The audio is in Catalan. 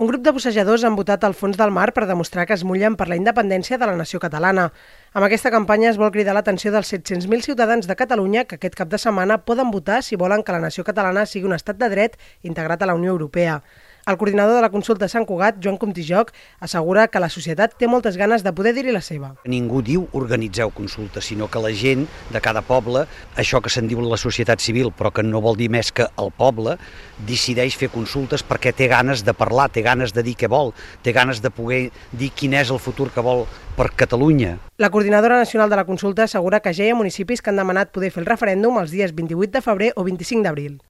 Un grup de bussejadors han votat al fons del mar per demostrar que es mullen per la independència de la nació catalana. Amb aquesta campanya es vol cridar l'atenció dels 700.000 ciutadans de Catalunya que aquest cap de setmana poden votar si volen que la nació catalana sigui un estat de dret integrat a la Unió Europea. El coordinador de la consulta Sant Cugat, Joan Comtijoc, assegura que la societat té moltes ganes de poder dir-hi la seva. Ningú diu organitzeu consultes, sinó que la gent de cada poble, això que se'n diu la societat civil, però que no vol dir més que el poble, decideix fer consultes perquè té ganes de parlar, té ganes de dir què vol, té ganes de poder dir quin és el futur que vol per Catalunya. La coordinadora nacional de la consulta assegura que ja hi ha municipis que han demanat poder fer el referèndum els dies 28 de febrer o 25 d'abril.